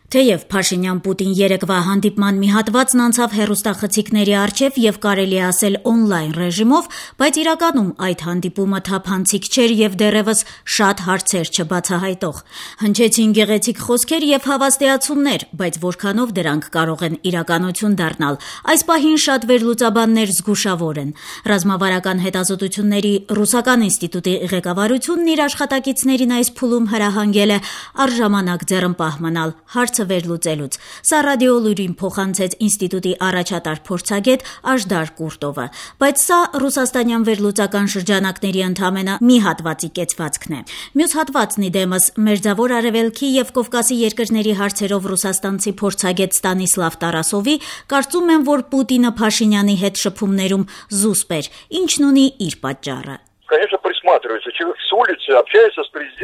Թեև Փաշինյան-Պուտին երեկվա հանդիպման մի հատվածն անցավ հեռուստախցիկների առջև եւ կարելի է ասել օնլայն ռեժիմով, բայց իրականում այդ հանդիպումը թափանցիկ չէր եւ դեռեւս շատ հարցեր չբացահայտող։ Հնչեցին գեղեցիկ խոսքեր եւ հավաստիացումներ, բայց որքանով դրանք կարող են իրականություն դառնալ, այս պահին շատ վերլուծաբաններ զգուշավոր են։ Ռազմավարական հետազոտությունների ռուսական ինստիտուտի ղեկավարությունն իր աշխատակիցներին այս փուլում հրահանգել է առժամանակ ձեռնպահ մնալ վերլուծելուց։ Սա ռադիոլուրին փոխանցեց ինստիտուտի առաջատար փորձագետ Աժդար Կուրտովը, բայց սա ռուսաստանյան վերլուծական շրջանակների ընդամենը մի հատվածի կեցվածքն է։ Մյուս հատվածն իդեմս Մերձավոր Արևելքի եւ Կովկասի երկրների հարցերով ռուսաստանցի փորձագետ Ստանիսլավ Տարասովի կարծում են, որ Պուտինը Փաշինյանի հետ շփումներում զուսպ էր, ինչն ունի իր պատճառը։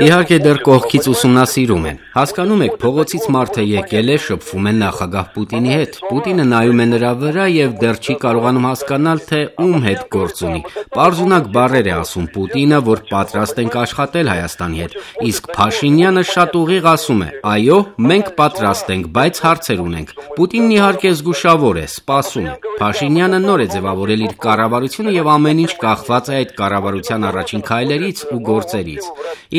Իհարկե դեռ կողքից ուսումնասիրում են։ Հասկանում եք, փողոցից մարդը եկել է, շփվում են նախագահ Պուտինի հետ։ Պուտինը նայում է նրա վրա եւ դեռ չի կարողանում հասկանալ, թե ում հետ գործ ունի։ Պարզունակ բառեր է ասում Պուտինը, որ պատրաստ ենք աշխատել Հայաստանի հետ։ Իսկ Փաշինյանը շատ ուղիղ ասում է. այո, մենք պատրաստ ենք, բայց հարցեր ունենք։ Պուտինն իհարկե զգուշավոր է, սպասում է։ Փաշինյանը նոր է ձևավորել իր կառավարությունը եւ ամեն ինչ կախված է այդ կառավարության առաջին քայլերից ու գործերից։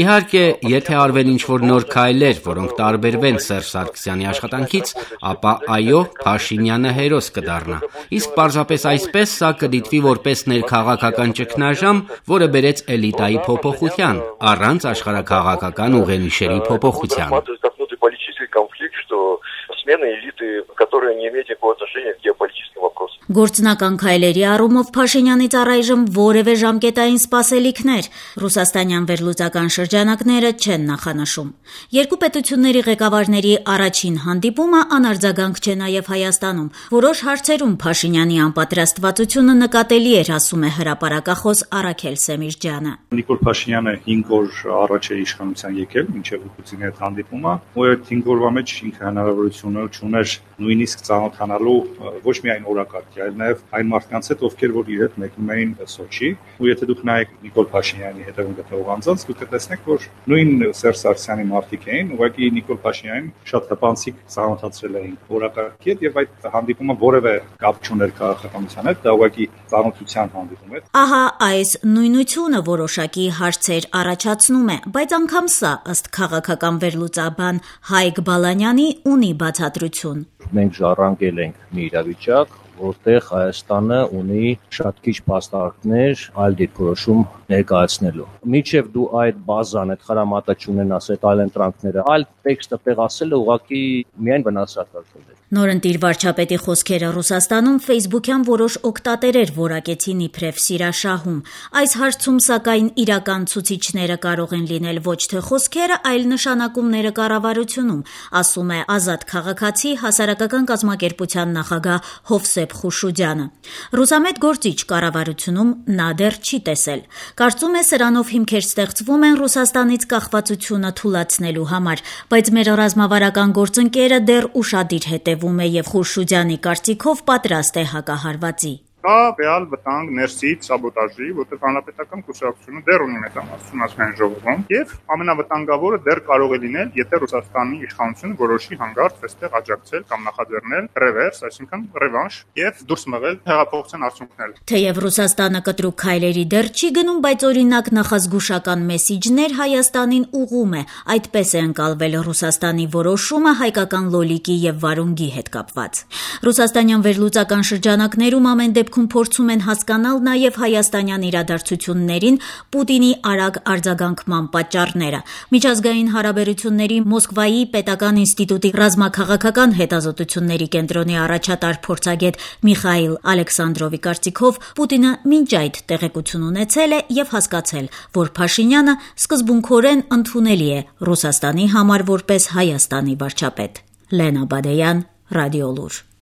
Իհարկե, եթե արվեն ինչ-որ նոր քայլեր, որոնք տարբերվեն Սերժ Սարգսյանի աշխատանքից, ապա այո, Փաշինյանը հերոս կդառնա։ Իսկ պարզապես այսպես սա կդիտվի որպես ներքաղաքական ճգնաժամ, որը բերեց էլիտայի փոփոխության, առանց աշխարհաքաղաքական ուղենիշերի փոփոխության։ Գործնական քայլերի առումով Փաշինյանից առայժմ որևէ ժամկետային սպասելիքներ ռուսաստանյան վերլուծական շրջանակները չեն նախանշում։ Երկու պետությունների ղեկավարների առաջին հանդիպումը անարձագանք չէ նաև Հայաստանում։ Որոշ հարցերում Փաշինյանի անպատրաստվածությունը նկատելի էր, ասում է հրապարակախոս Արաքել Սեմիրջյանը։ Նիկոլ Փաշինյանը 5 օր առաջ է իշխանության եկել, մինչև Պուտինի հետ հանդիպումը, ու այդ 5 օրվա մեջ ինքը հնարավորություն չուներ նույնիսկ ծանոթանալու ոչ միայն օրակարգի, այլ նաև այն մարդկանց հետ, ովքեր որ իր հետ մեկնում էին Սոչի, ու եթե դուք նայեք Նիկոլ Փաշինյանի հետևում գտնվող անձանց, դուք կտեսնեք, որ նույն Սերժ Սարգսյանի մարդիկ էին, ուղղակի Նիկոլ Փաշինյանին շատ հպանցիկ ծանոթացրել էին օրակարգի հետ, եւ այդ հանդիպումը որևէ կապ չուներ քաղաքականության հետ, դա ուղղակի ծանոթության հանդիպում էր։ Ահա այս նույնությունը որոշակի հարցեր առաջացնում է, բայց անգամ սա ըստ քաղաքական վերլուծաբան Հայկ Բալանյանի ունի բացատրություն։ Մենք ժառանգել ենք մի իրավիճակ, որտեղ Հայաստանը ունի շատ քիչ փաստարկներ այլ դիրքորոշում ներկայացնելու։ Մինչև դու այդ բազան, այդ խրամատը չունենաս, այդ այլ ընտրանքները, այլ տեքստը տեղասելը ուղղակի միայն վնասակար։ Նորընտիր վարչապետի խոսքերը Ռուսաստանում ֆեյսբուքյան որոշ օգտատերեր որակեցին իբրև սիրաշահում։ Այս հարցում սակայն իրական ցուցիչները կարող են լինել ոչ թե խոսքերը, այլ նշանակումները կառավարությունում, ասում է Ազատ քաղաքացի հասարակական կազմակերպության նախագահ Հովսեփ Խուշուդյանը։ Ռուսամետ գործիչ կառավարությունում նա դեռ չի տեսել։ Կարծում է սրանով հիմքեր ստեղծվում են Ռուսաստանից կախվածությունը թուլացնելու համար, բայց մեր ռազմավարական գործընկերը դեռ ուշադիր հետևում է եւ Խուշուդյանի կարծիքով պատրաստ է հակահարվածի։ Կա ռեալ վտանգ ներսից սաբոտաժի, որտեղ հանրապետական կուսակցությունը դեռ ունի մեծամասնություն ազգային ժողովում, եւ ամենավտանգավորը դեռ կարող է լինել, եթե Ռուսաստանի իշխանությունը որոշի հանգարց այստեղ աջակցել կամ նախաձեռնել ռևերս, այսինքն ռևանշ, եւ դուրս մղել հեղափոխության արդյունքները։ Թեև Ռուսաստանը կտրուկ քայլերի դեռ չի գնում, բայց օրինակ նախազգուշական մեսիջներ Հայաստանին ուղղում է, այդպես է ընկալվել Ռուսաստանի որոշումը հայկական լոլիկի եւ վարունգի հետ կապված։ Ռուսաստանյան վերլուծական շրջանակներում ամեն դեպքում փորձում են հասկանալ նաև հայաստանյան իրադարձություններին Պուտինի արագ արձագանքման պատճառները։ Միջազգային հարաբերությունների Մոսկվայի պետական ինստիտուտի ռազմաքաղաքական հետազոտությունների կենտրոնի առաջատար փորձագետ Միխայիլ Ալեքսանդրովի կարծիքով Պուտինը մինչ այդ տեղեկություն ունեցել է եւ հասկացել, որ Փաշինյանը սկզբունքորեն ընդունելի է Ռուսաստանի համար որպես Հայաստանի վարչապետ։ Լենա Բադեյան, Ռադիոլուր։